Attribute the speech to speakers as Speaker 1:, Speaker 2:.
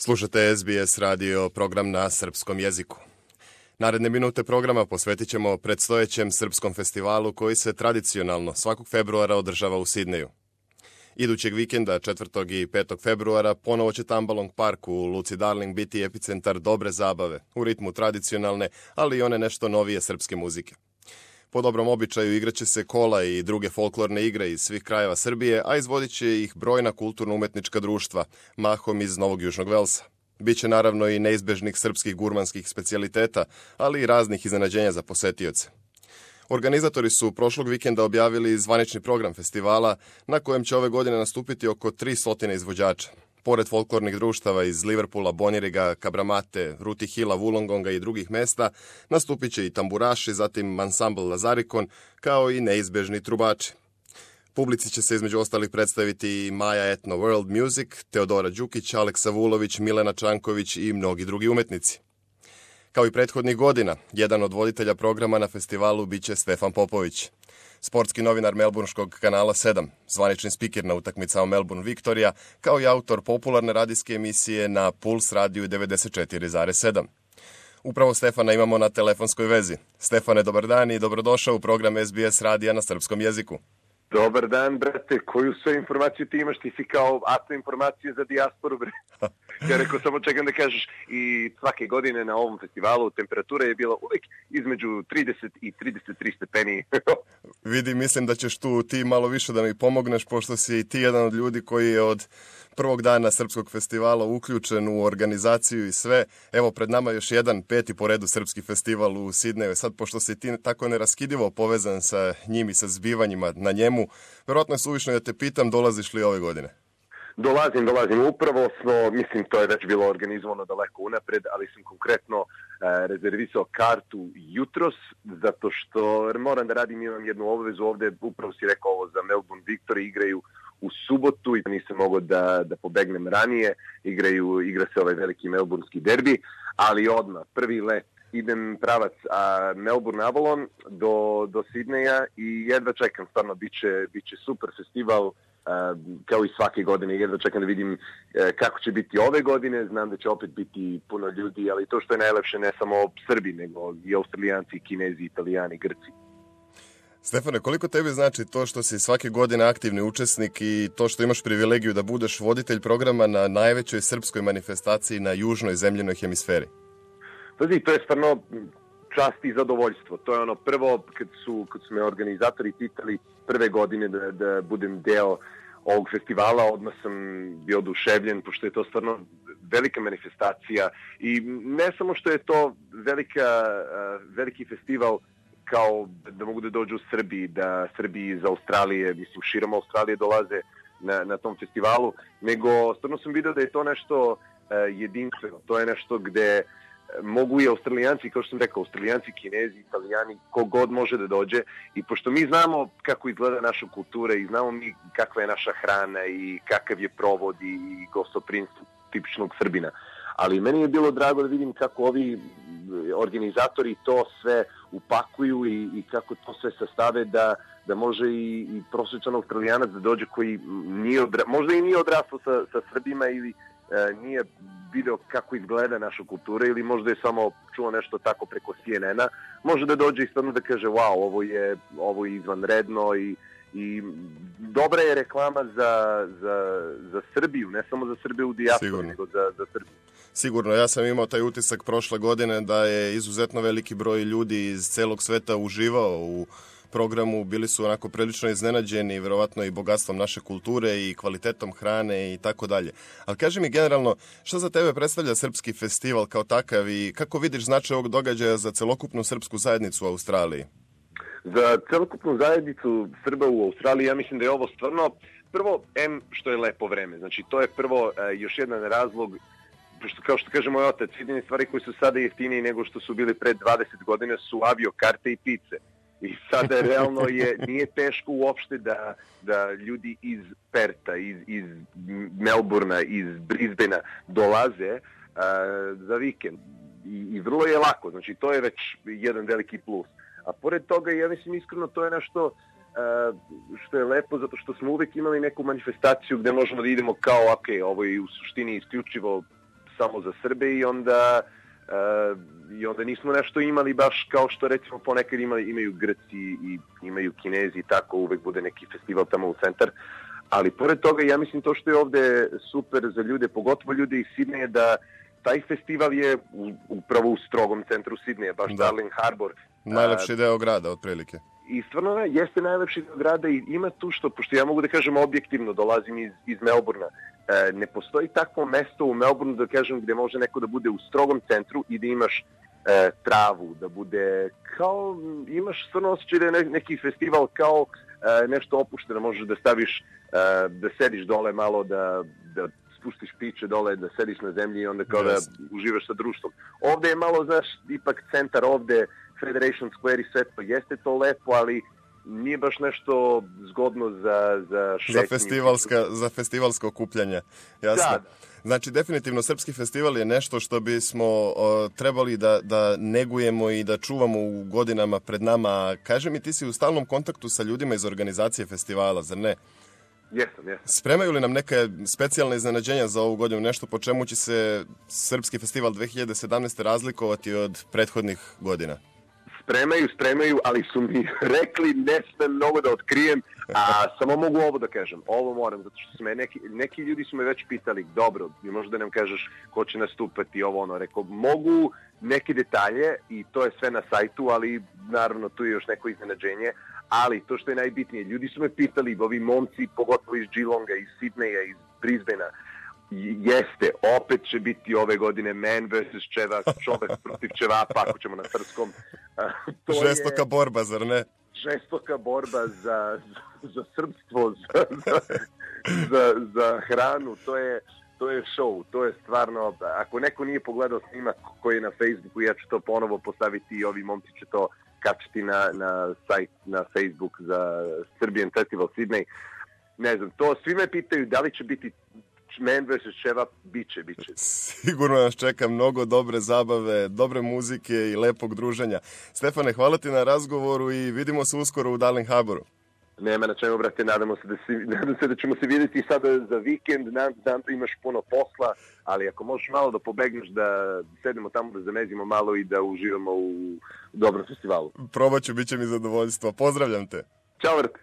Speaker 1: Slušate SBS radio program na srpskom jeziku. Naredne minute programa posvetit ćemo predstojećem srpskom festivalu koji se tradicionalno svakog februara održava u Sidneju. Idućeg vikenda, 4. i 5. februara, ponovo će Tambalong Park u Luci Darling biti epicentar dobre zabave, u ritmu tradicionalne, ali i one nešto novije srpske muzike. Po dobrom običaju igraće se kola i druge folklorne igre iz svih krajeva Srbije, a izvodit će ih brojna kulturno-umetnička društva, mahom iz Novog Južnog Velsa. Biće naravno i neizbežnih srpskih gurmanskih specijaliteta, ali i raznih iznenađenja za posetioce. Organizatori su prošlog vikenda objavili zvanični program festivala, na kojem će ove godine nastupiti oko 300 izvođača. Pored folklornih društava iz Liverpoola, Boniriga, Kabramate, Ruti Hila, Wollongonga i drugih mesta, nastupit će i tamburaši, zatim ansambl Lazarikon, kao i neizbežni trubači. Publici će se između ostalih predstaviti i Maja Etno World Music, Teodora Đukić, Aleksa Vulović, Milena Čanković i mnogi drugi umetnici. Kao i prethodnih godina, jedan od voditelja programa na festivalu biće Stefan Popović. Sportski novinar Melbourneškog kanala 7, zvanični spiker na utakmicama Melbourne Victoria, kao i autor popularne radijske emisije na Puls radiju 94,7. Upravo Stefana imamo na telefonskoj vezi. Stefane, dobar dan i dobrodošao u program SBS radija na srpskom jeziku.
Speaker 2: Dobar dan, brate. Koju sve informaciju ti imaš? Ti si kao atno informacije za dijasporu, bre. Ja rekao, samo čekam da kažeš. I svake godine na ovom festivalu temperatura je bila uvijek između 30 i 33 stepeni.
Speaker 1: Vidi, mislim da ćeš tu ti malo više da mi pomogneš, pošto si ti jedan od ljudi koji je od prvog dana srpskog festivala uključen u organizaciju i sve. Evo, pred nama još jedan, 5. po redu srpski festival u Sidneju. Sad, pošto si ti tako neraskidivo povezan sa njim i sa zbivanjima na njemu, verovatno je suvišno da te pitam, dolaziš li ove godine?
Speaker 2: Dolazim. Upravo smo, mislim, to je već bilo organizovano daleko unapred, ali sam konkretno rezervisao kartu jutros, zato što moram da radim, imam jednu obvezu ovde, upravo si rekao ovo za Melbourne Victory, igraju u subotu i nisam mogao da pobegnem ranije, igra se ovaj veliki melbournski derbi, ali odmah, prvi let, idem pravac Melbourne Avalon do Sidneja i jedva čekam, stvarno, biće super festival, kao i svake godine, jedva čekam da vidim kako će biti ove godine, znam da će opet biti puno ljudi, ali to što je najlepše ne samo Srbi, nego i Australijanci, Kinezi, Italijani, Grci.
Speaker 1: Stefane, koliko tebi znači to što si svake godine aktivni učesnik i to što imaš privilegiju da budeš voditelj programa na najvećoj srpskoj manifestaciji na južnoj zemljenoj hemisferi?
Speaker 2: Pazi, to je stvarno čast i zadovoljstvo. To je ono prvo, kad su me organizatori pitali prve godine da budem deo ovog festivala, odmah sam bio oduševljen, pošto je to stvarno velika manifestacija i ne samo što je to veliki festival kao da mogu da dođu Srbi, da Srbi iz Australije, mislim širom Australije dolaze na tom festivalu, nego stvarno sam vidio da je to nešto jedinstveno. To je nešto gde mogu i Australijanci, kao što sam rekao, Australijanci, Kinezi, Italijani, kogod može da dođe. I pošto mi znamo kako izgleda naša kultura i znamo mi kakva je naša hrana i kakav je provod i gostoprimstvo tipičnog Srbina. Ali meni je bilo drago da vidim kako ovi organizatori to sve upakuju i kako to sve sastave da može i prosječan Australijanac da dođe koji možda i nije odrastao sa Srbima ili nije video kako izgleda naša kultura ili možda je samo čuo nešto tako preko CNN-a, može da dođe i stvarno da kaže wow, ovo je izvanredno i dobra je reklama za Srbiju, ne samo za Srbiju u dijaspori, nego za Srbiju.
Speaker 1: Sigurno, ja sam imao taj utisak prošle godine da je izuzetno veliki broj ljudi iz celog sveta uživao u programu, bili su onako prilično iznenađeni, verovatno i bogatstvom naše kulture i kvalitetom hrane i tako dalje. Ali kaži mi generalno, šta za tebe predstavlja srpski festival kao takav i kako vidiš značaj ovog događaja za celokupnu srpsku zajednicu u Australiji?
Speaker 2: Za celokupnu zajednicu Srba u Australiji, ja mislim da je ovo stvarno, prvo, što je lepo vreme. Znači, to je prvo još jedan razlog, kao što kaže moj otac, jedine stvari koje su sada jeftinije nego što su bili pred 20 godina su avio karte i pice. I sada realno nije teško uopšte da ljudi iz Perta, iz Melbournea, iz Brisbanea dolaze za vikend. I vrlo je lako, znači to je već jedan veliki plus. A pored toga, ja mislim iskreno, to je nešto što je lepo, zato što smo uvek imali neku manifestaciju gde možemo da idemo kao, ok, ovo je u suštini isključivo samo za Srbe i onda nismo nešto imali baš kao što recimo ponekad imaju Grci i imaju Kinezi i tako, uvek bude neki festival tamo u centar. Ali pored toga, ja mislim to što je ovde super za ljude, pogotovo ljude iz Sidneja, da taj festival je upravo u strogom centru Sidneja, baš Darling Harbour.
Speaker 1: Najlepši deo grada, otprilike.
Speaker 2: I stvarno jeste najlepši deo grada i ima tu što, pošto ja mogu da kažem objektivno, dolazim iz Melbourna, ne postoji takvo mesto u Melbournu, da kažem, gde može neko da bude u strogom centru i da imaš travu, da bude kao, imaš stvarno osjećaj da je neki festival kao nešto opušteno, možeš da staviš, da sediš dole malo, da spustiš piće dole, da sediš na zemlji i onda kao da uživaš sa društvom. Ovde je malo, znaš, ipak centar ovde, Federation Square i sve to, jeste to lepo, ali nije baš nešto zgodno za šetnju.
Speaker 1: Za festivalsko okupljanje, jasno. Da. Znači, definitivno, Srpski festival je nešto što bismo trebali da negujemo i da čuvamo u godinama pred nama. Kaži mi, ti si u stalnom kontaktu sa ljudima iz organizacije festivala, zar ne?
Speaker 2: Jesam.
Speaker 1: Spremaju li nam neke specijalne iznenađenja za ovu godinu? Nešto po čemu će se Srpski festival 2017. razlikovati od prethodnih godina?
Speaker 2: Spremaju, ali su mi rekli ne smem mnogo da otkrijem, a samo mogu ovo da kažem. Ovo moram, zato što su neki ljudi su me već pitali, dobro, možda nam kažeš ko će nastupati, ovo ono. Rekao, mogu neke detalje i to je sve na sajtu, ali naravno tu je još neko iznenađenje. Ali to što je najbitnije, ljudi su me pitali, ovi momci, pogotovo iz Geelonga, iz Sidneja, iz Brisbanea, jeste, opet će biti ove godine Man vs. Čevap, čovek protiv Čevapa, ako ćemo na srpskom.
Speaker 1: Žestoka borba, zar ne?
Speaker 2: Žestoka borba za srpstvo, za hranu, to je show, to je stvarno, ako neko nije pogledao snimak koji je na Facebooku, ja ću to ponovo postaviti i ovi momci će to kačiti na sajt, na Facebook za Serbian Festival Sydney. Ne znam, to svi me pitaju da li će biti Man vs. Čevap, biće.
Speaker 1: Sigurno nas čeka mnogo dobre zabave, dobre muzike i lepog druženja. Stefane, hvala ti na razgovoru i vidimo se uskoro u Darling Harbouru.
Speaker 2: Nema na čemu, brate, nadam se da ćemo se vidjeti sada za vikend, znam da imaš puno posla, ali ako možeš malo da pobegneš, da sedemo tamo, da zamezimo malo i da uživamo u dobrom festivalu.
Speaker 1: Probat ću, bit će mi zadovoljstvo. Pozdravljam te.
Speaker 2: Ćao, brate.